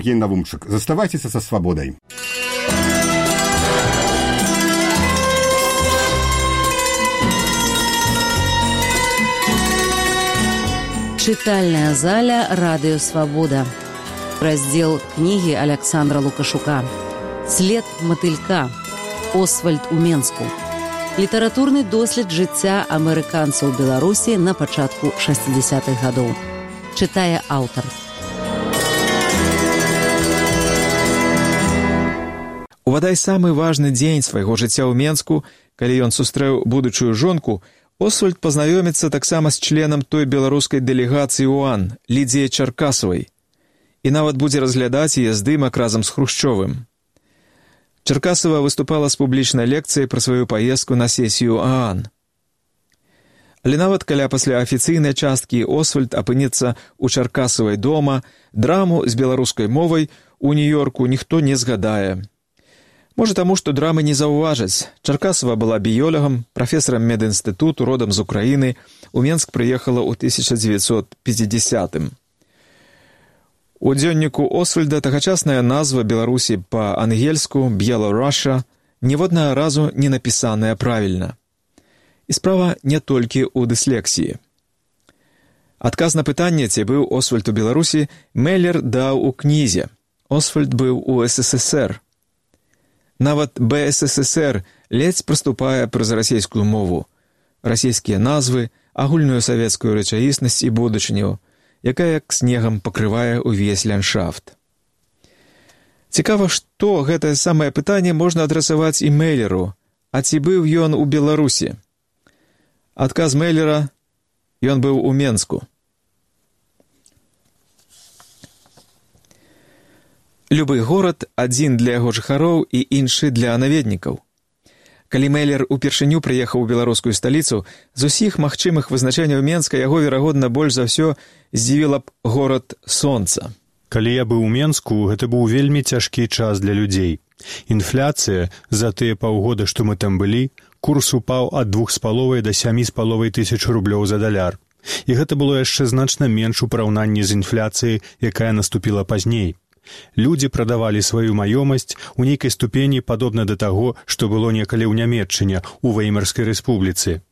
Евгений Навумчик. Заставайтесь со свободой. Читальная заля «Радио Свобода». Раздел книги Александра Лукашука. «След матылька». Освальд у Менску. Літаратурны дослед жыцця амерыканцаў у Беларусі на пачатку 60-х гадоў. Чытае аўтар. У вадай самы важны дзень свайго жыцця ў Менску, калі ён сустрэў будучую жонку, Освальд пазнаёміцца таксама з членам той беларускай дэлегацыі УАН, Лідзіяй Чаркасавай, і нават будзе разглядаць яе здымак разам з Хрушчовым. Чаркасава выступала з публічнай лекцыяй пра сваю паездку на сесію ААН. Але нават каля пасля афіцыйнай часткі Освальд апынецца ў Чаркасавай дома, драму з беларускай мовай у Нью-Йорку ніхто не згадае. Можа таму, што драмы не заўважаць. Чаркасава была біёлагам, прафесарам медінстытуту, родам з Украіны. У Менск прыехала ў 1950-м. У дзённіку Освальда тагачасная назва Беларусі па-ангельску «Беларуша» ніводнага разу не напісаная правільна. І справа не толькі ў дыслексіі. Адказ на пытанне, ці быў Освальд у Беларусі, Меллер даў у кнізе. Освальд быў у СССР. Нават БССР ледзь праступае праз расійскую мову, расійскія назвы, агульную савецкую рэчаіснасць і будучыню, якая як снегам пакрывае ўвесь ландшафт. Цікава, што гэтае самае пытанне можна адрасаваць і Меллеру, а ці быў ён у Беларусі? Адказ Меллера – ён быў у Менску. Любы горад адзін для яго жыхароў і іншы для наведнікаў. Калі Меллер упершыню прыехаў у беларускую сталіцу, з усіх магчымых вызначэнняў Менска яго, верагодна, больш за ўсё здзівіла б горад сонца. Калі я быў у Менску, гэта быў вельмі цяжкі час для людзей. Інфляцыя за тыя паўгода, што мы там былі, курс упаў ад 2,5 да 7,5 тысяч рублёў за даляр. І гэта было яшчэ значна менш у параўнанні з інфляцыяй, якая наступіла пазней. Людзі прадавалі сваю маёмасць у нейкай ступені падобна да таго, што было некалі ў Нямецчыне, у Веймарскай рэспубліцы.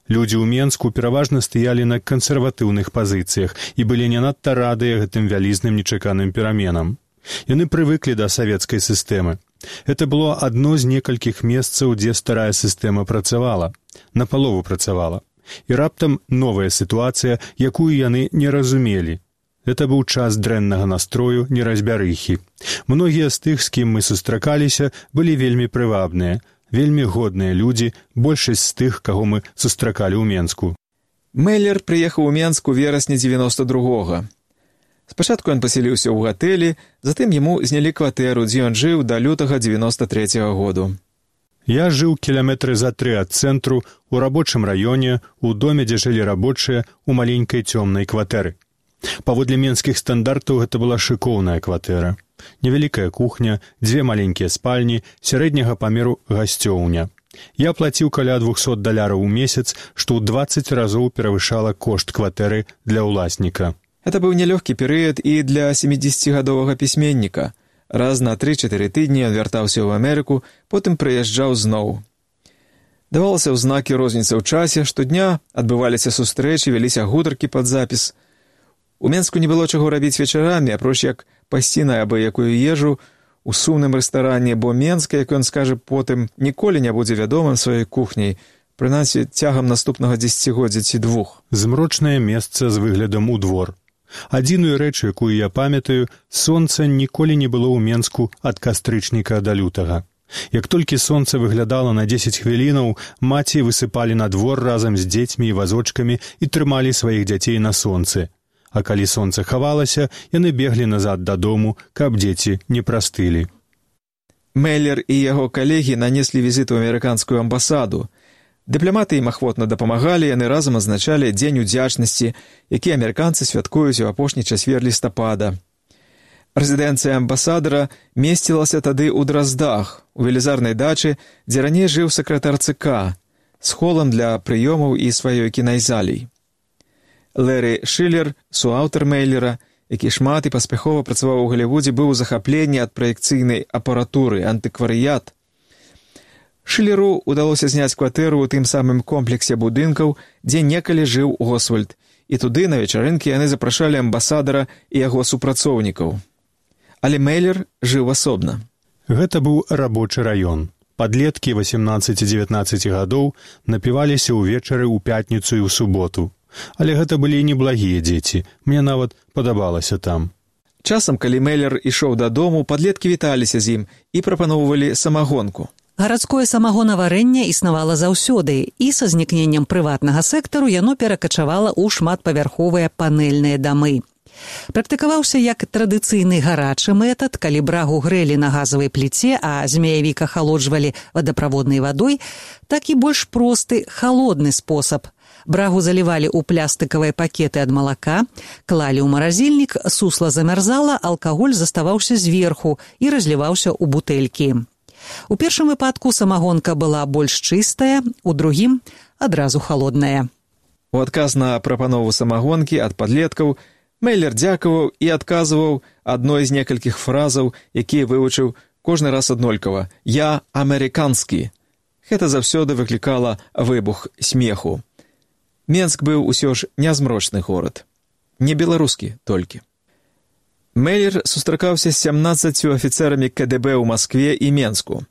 Людзі ў Менску пераважна стаялі на кансерватыўных пазіцыях і былі не надта радыя гэтым вялізным нечаканым пераменам. Яны прывыклі да савецкай сістэмы. Гэта было адно з некалькіх месцаў, дзе старая сістэма працавала, напалову працавала. І раптам новая сітуацыя, якую яны не разумелі. Гэта быў час дрэннага настрою, неразбярыхі. Многія з тых, з кім мы сустракаліся, былі вельмі прывабныя, вельмі годныя людзі, большасць з тых, каго мы сустракалі ў Менску. Меллер прыехаў у Менск у верасні 92-го. Спачатку ён пасяліўся ў гатэлі, затым яму знялі кватэру, дзе ён жыў да лютага 93-го году. Я жыў кіламетры за 3 ад цэнтру, у рабочым раёне, у доме, дзе жылі рабочыя, у маленькай цёмнай кватэры. Паводле менскіх стандартаў гэта была шыкоўная кватэра. Невялікая кухня, 2 маленькія спальні, сярэдняга памеру гасцёўня. Я плаціў каля $200 у месяц, што ў 20 разоў перавышала кошт кватэры для ўласніка. Гэта быў нялёгкі перыяд і для 70-гадовага пісьменніка. Раз на 3-4 тыдні ён вяртаўся ў Амерыку, потым прыязджаў зноў. Давалася ў знакі розніца ў часе, штодня адбываліся сустрэчы, вяліся гутаркі пад запіс. У Менску не было чаго рабіць вечарамі, апроч як пасці на абы-якую ежу у сумным рэстаране, бо Менска, як ён скажа потым, ніколі не будзе вядомым сваёй кухняй, прынамсі цягам наступнага 10-годдзя ці 2. Змрочнае месца з выглядам у двор. Адзіную рэч, якую я памятаю, сонца ніколі не было ў Менску ад кастрычніка да лютага. Як толькі сонца выглядала на 10 хвілінаў, маці высыпалі на двор разам з дзецьмі і вазочкамі і трымалі сваіх дзяцей на сонцы. А калі сонца хавалася, яны беглі назад дадому, каб дзеці не прастылі. Меллер і яго калегі нанеслі візіт у амерыканскую амбасаду. Дыпламаты ім ахвотна дапамагалі, яны разам азначалі Дзень удзячнасці, які амерыканцы святкуюць у апошні чацвер лістапада. Рэзідэнцыя амбасадара месцілася тады ў Драздах, у велізарнай дачы, дзе раней жыў сакратар ЦК, з холам для прыёмаў і сваёй кінайзалей. Лэри Шиллер, суаўтар Меллера, які шмат і паспяхова працаваў у Галівудзе, быў у захапленні ад праекцыйнай апаратуры, антыкварыят. Шылеру удалося зняць кватэру ў тым самым комплексе будынкаў, дзе некалі жыў Освальд, і туды на вечарынкі яны запрашалі амбасадара і яго супрацоўнікаў. Але Мейлер жыў асобна. Гэта быў рабочы раён. Падлеткі 18-19 гадоў напіваліся ўвечары ў пятніцу і ў суботу. Але гэта былі неблагія дзеці. Мне нават падабалася там. Часам, калі Мейлер ішоў дадому, падлеткі віталіся з ім і прапаноўвалі самагонку. Гарадское самагонаварэнне існавала заўсёды, і са знікненнем прыватнага сектару яно перакачавала ў шматпавярховыя панэльныя дамы. Практыкаваўся як традыцыйны гарачы метад, калі брагу грэлі на газавай пліце, а змеявік ахалоджвалі вадаправоднай вадой, так і больш просты халодны спосаб. Брагу залівалі ў плястыкавыя пакеты ад малака, клалі ў маразільнік, сусла замярзала, алкаголь заставаўся зверху і разліваўся ў бутэлькі. У першым выпадку самагонка была больш чыстая, у другім адразу халодная. У адказ на прапанову самагонкі ад падлеткаў Мейлер дзякаваў і адказваў адной з некалькіх фразаў, якія вывучыў кожны раз аднолькава. «Я амерыканскі». Гэта заўсёды выклікала выбух смеху. Менск быў усё ж нязмрочны горад. Не беларускі толькі. Мейлер сустракаўся з 17 афіцэрамі КДБ ў Маскве і Менску.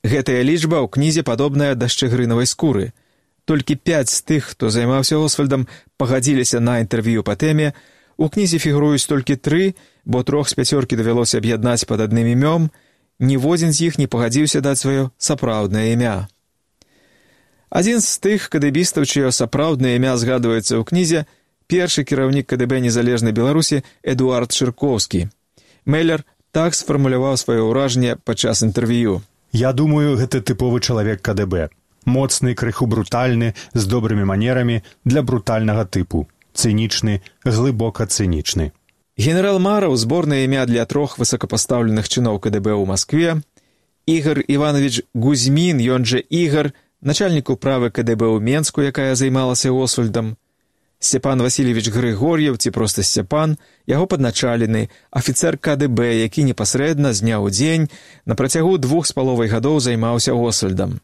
Гэтая лічба ў кнізе падобная да шчыгрынавай скуры. Толькі 5 з тых, хто займаўся Освальдам, пагадзіліся на інтэрв'ю па тэме. У кнізе фігуруюць толькі 3, бо 3 з 5 давялося аб'яднаць пад адным імём. Ніводзін з іх не пагадзіўся даць сваё сапраўднае імя. Адзін з тых кадэбістаў, чыё сапраўднае імя згадваецца ў кнізе, першы кіраўнік КДБ незалежнай Беларусі Эдуард Шыркоўскі. Мейлер так сфармуляваў сваё ўражанне падчас інтэрв'ю. Я думаю, гэта тыповы чалавек КДБ. Моцны, крыху брутальны, з добрымі манерамі для брутальнага тыпу. Цынічны, глыбока цынічны. Генерал Мараў, зборнае імя для 3 высокапастаўленых чыноў КДБ ў Маскве, Ігар Іванович Гузьмін, ён жа Ігар, начальнік управы КДБ ў Менску, якая займалася Освальдам, Степан Васильевич Григор'ев, ці проста Степан, яго падначалены, афіцэр КДБ, які непасрэдна з дня ў дзень на працягу 2,5 гадоў займаўся Освальдам.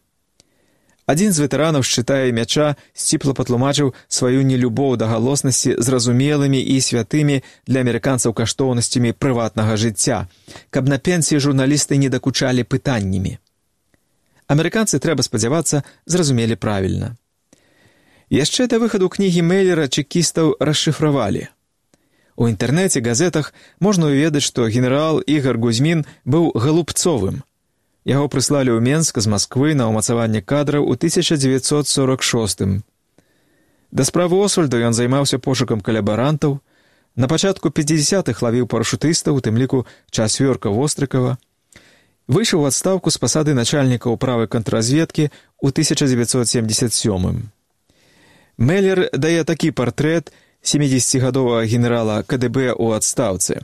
Адзін з ветэранаў шчыта і мяча сціпла патлумачыў сваю нелюбоў да галоснасці зразумелымі і святымі для амерыканцаў каштоўнасцямі прыватнага жыцця, каб на пенсіі журналісты не дакучалі пытаннямі. Амерыканцы, трэба спадзявацца, зразумелі правільна. Яшчэ да выхаду кнігі Мейлера чэкістаў расшыфравалі. У інтэрнэце, газетах можна ўведаць, што генерал Ігар Гузьмін быў галубцовым. Яго прыслалі ў Менск з Масквы на ўмацаванне кадраў у 1946. Да справы Освальда ён займаўся пошукам калабарантаў. На пачатку 50-х лавіў парашутыстаў, у тым ліку Часвёрка Вострыкава. Выйшаў у адстаўку з пасады начальніка ўправы контрразведкі ў 1977. Мейлер дае такі партрэт 70-гадовага генерала КДБ ў адстаўцы.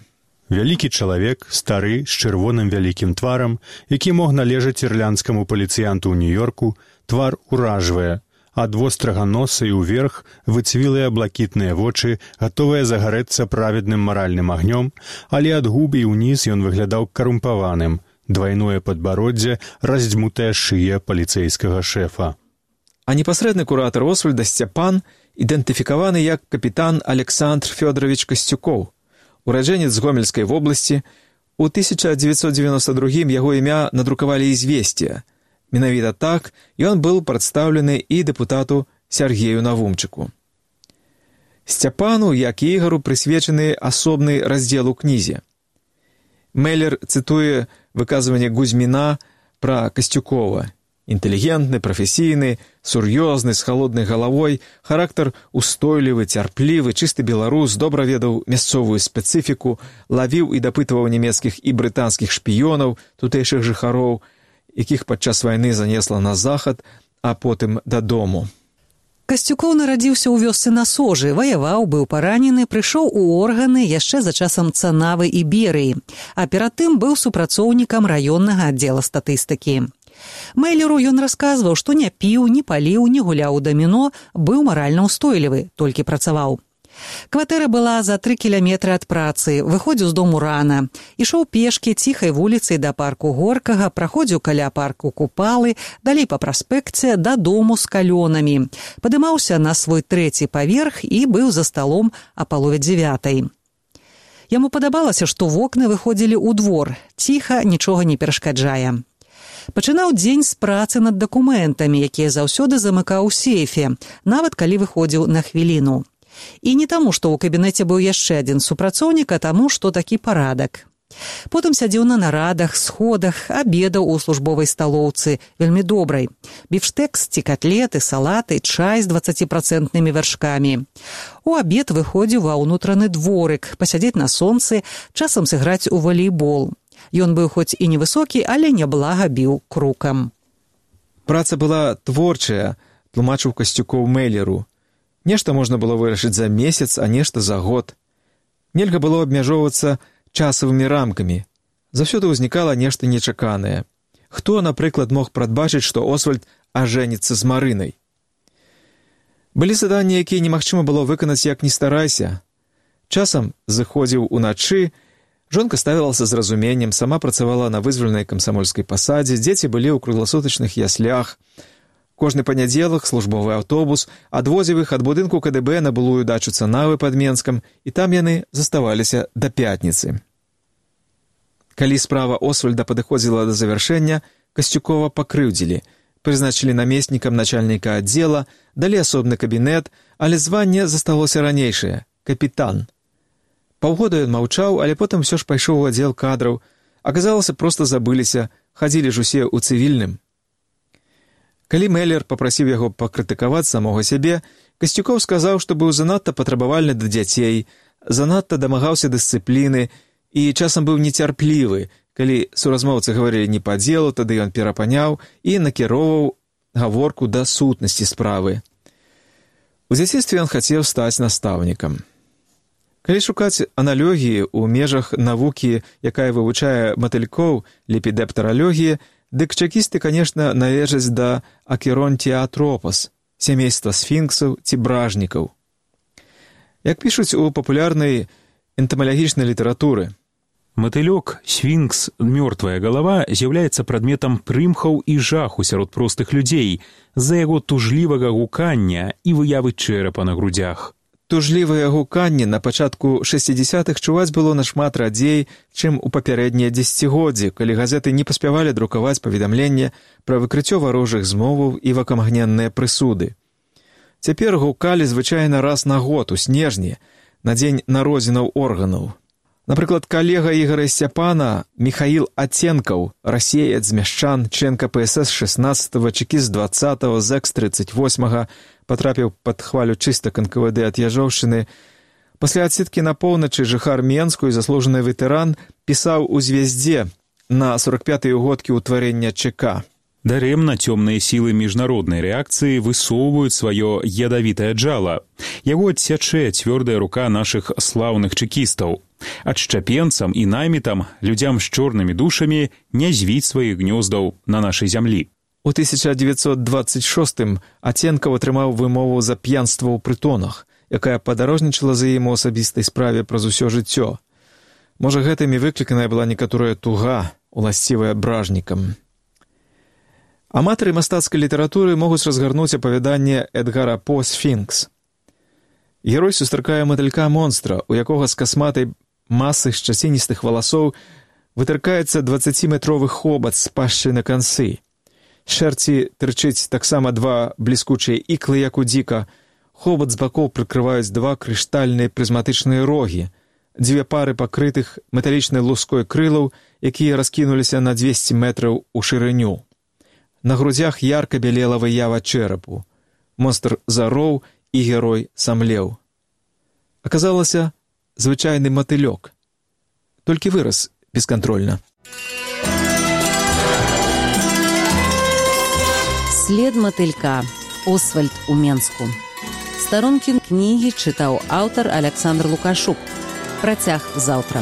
Вялікі чалавек, стары, з чырвоным вялікім тварам, які мог належаць ірландскаму паліцыянту ў Нью-Йорку, твар уражвае. Ад вострага носа і ўверх выцвілыя блакітныя вочы, гатовыя загарэцца праведным маральным агнём, але ад губ і ўніз ён выглядаў карумпаваным, двайное падбароддзе, раздзьмутая шыя паліцэйскага шэфа. А непасрэдны куратар Освальда Степан ідэнтыфікаваны як капітан Александр Фёдорович Касцюкоў, ураджэнец з Гомельскай вобласці. У 1992 яго імя надрукавалі «Ізвесція». Менавіта так ён быў прадстаўлены і дэпутату Сергею Навумчыку. Сцяпану, як і Ігару, прысвечаны асобны раздзел у кнізе. Мейлер цытуе выказванне Гузьміна пра Касцюкова. Інтэлігентны, прафесійны, сур'ёзны, з халоднай галавой, характар устойлівы, цярплівы, чысты беларус, добра ведаў мясцовую спецыфіку, лавіў і дапытваў нямецкіх і брытанскіх шпіёнаў, тутэйшых жыхароў, якіх падчас вайны занесла на захад, а потым дадому. Касцюкоў нарадзіўся ў вёсцы на Сожы, ваяваў, быў паранены, прыйшоў у органы яшчэ за часам Цанавы і Берыі, а перад тым быў супрацоўнікам раённага аддзела статыстыкі. Мейлеру ён расказваў, што не піў, не паліў, не гуляў у даміно, быў маральна ўстойлівы, толькі працаваў. Кватэра была за 3 кіламетры ад працы, выходзіў з дому рана. Ішоў пешкі ціхай вуліцай да парку Горкага, праходзіў каля парку Купалы, далей па праспекце да дому з калёнамі. Падымаўся на свой 3-й паверх і быў за сталом а палове 9. Яму падабалася, што вокны выходзілі ў двор, ціха, нічога не перашкаджае. Пачынаў дзень з працы над дакументамі, якія заўсёды замыкаў у сейфе, нават калі выходзіў на хвіліну. І не таму, што ў кабінеце быў яшчэ адзін супрацоўнік, а таму, што такі парадак. Потым сядзеў на нарадах, сходах, абедаў у службовай сталоўцы, вельмі добрай. Біфштэкс ці катлеты, салаты, чай з 20% вяршкамі. У абед выходзіў ва ўнутраны дворык, пасядзець на сонцы, часам сыграць у валейбол. Ён быў хоць і невысокі, але няблага біў крукам. Праца была творчая, тлумачыў Касцюкоў Мэллеру. Нешта можна было вырашыць за месяц, а нешта за год. Нельга было абмяжоўвацца часавымі рамкамі. Заўсёды ўзнікала нешта нечаканае. Хто, напрыклад, мог прадбачыць, што Освальд ажэніцца з Марынай? Былі заданні, якія немагчыма было выканаць, як ні старайся. Часам зыходзіў уначы, жонка ставілася з разуменнем, сама працавала на вызвольнай камсамольскай пасадзе, дзеці былі ў кругласутачных яслях. Кожны панядзелак службовы аўтобус адвозіў іх ад будынку КДБ на былую дачу Цанавы пад Менскам, і там яны заставаліся да пятніцы. Калі справа Освальда падыходзіла да завяршэння, Касцюкова пакрыўдзілі, прызначылі намеснікам начальніка аддзела, далі асобны кабінет, але званне засталося ранейшае – капітан. Паўгода ён маўчаў, але потым усё ж пайшоў у аддзел кадраў. Аказалася, проста забыліся, хадзілі ж усе ў цывільным. Калі Мэллер папрасіў яго пакрытыкаваць самога сябе, Касцюкоў сказаў, што быў занадта патрабавальны да дзяцей, занадта дамагаўся дысцыпліны і часам быў нецярплівы. Калі суразмоўцы гаварылі не па дзелу, тады ён перапаняў і накіроўваў гаворку да сутнасці справы. У дзяцінстве ён хацеў стаць настаўнікам. Калі шукаць аналогіі ў межах навукі, якая вывучае матылькоў, лепідэптаралогіі, дык чэкісты, канешне, належаць да акеронтіатропас, сямейства сфінксаў ці бражнікаў. Як пішуць у папулярнай энтамалагічнай літаратуры, матылёк, сфінкс, мёртвая галава з'яўляецца прадметам прымхаў і жаху сярод простых людзей з-за яго тужлівага гукання і выявы чэрапа на грудзях. Тужлівае гуканне на пачатку 60-х чуваць было нашмат радзей, чым у папярэднія дзесяцігоддзі, калі газеты не паспявалі друкаваць паведамленне пра выкрыццё варожых змоваў і вакамгненныя прысуды. Цяпер гукалі звычайна раз на год, у снежні, на дзень народзінаў органаў. Напрыклад, калега Ігара Сцяпана Міхаіл Аценкаў, расеец з Мяшчан, член КПСС 16-го, чекіст 20-го, зэкс 38-го, патрапіў пад хвалю чыстак НКВД ад Яжоўшчыны. Пасля адсідкі на поўначы жыхар Менску і заслужаны ветэран пісаў у «Звездзе» на 45-й угодкі ўтварэння ЧК. Дарэмна цёмныя сілы міжнароднай рэакцыі высоўваюць сваё ядавітае джала. Яго адсячэ цвёрдая рука нашых слаўных чэкістаў. Адшчапенцам і наймітам, людзям з чорнымі душамі, не звіць сваіх гнёздаў на нашай зямлі. У 1926-м Аценкаў атрымаў вымову за п'янства ў прытонах, якая падарожнічала за ім у асабістай справе праз усё жыццё. Можа, гэтымі выкліканая была некаторая туга, уласцівая бражнікам. Аматары мастацкай літаратуры могуць разгарнуць апавяданне Эдгара По «Сфінкс». Герой сустракае матылька-монстра, у якога з касматай масы шчаціністых валасоў вытыркаецца 20-метровы хобат з пашчай на канцы. Шэрці тырчыць таксама 2 бліскучыя іклы, як у дзіка. Хобат з бакоў прыкрываюць 2 крыштальныя прызматычныя рогі, 2 пары пакрытых металічнай луской крылаў, якія раскінуліся на 200 метраў у шырыню. На грудзях ярка бялела выява чэрапу. Монстр зароў, і герой самлеў. Аказалася, звычайны матылёк. Толькі вырас бескантрольна. След матылька. Освальд у Менску. Старонкі кнігі чытаў аўтар Александр Лукашук. Працяг заўтра.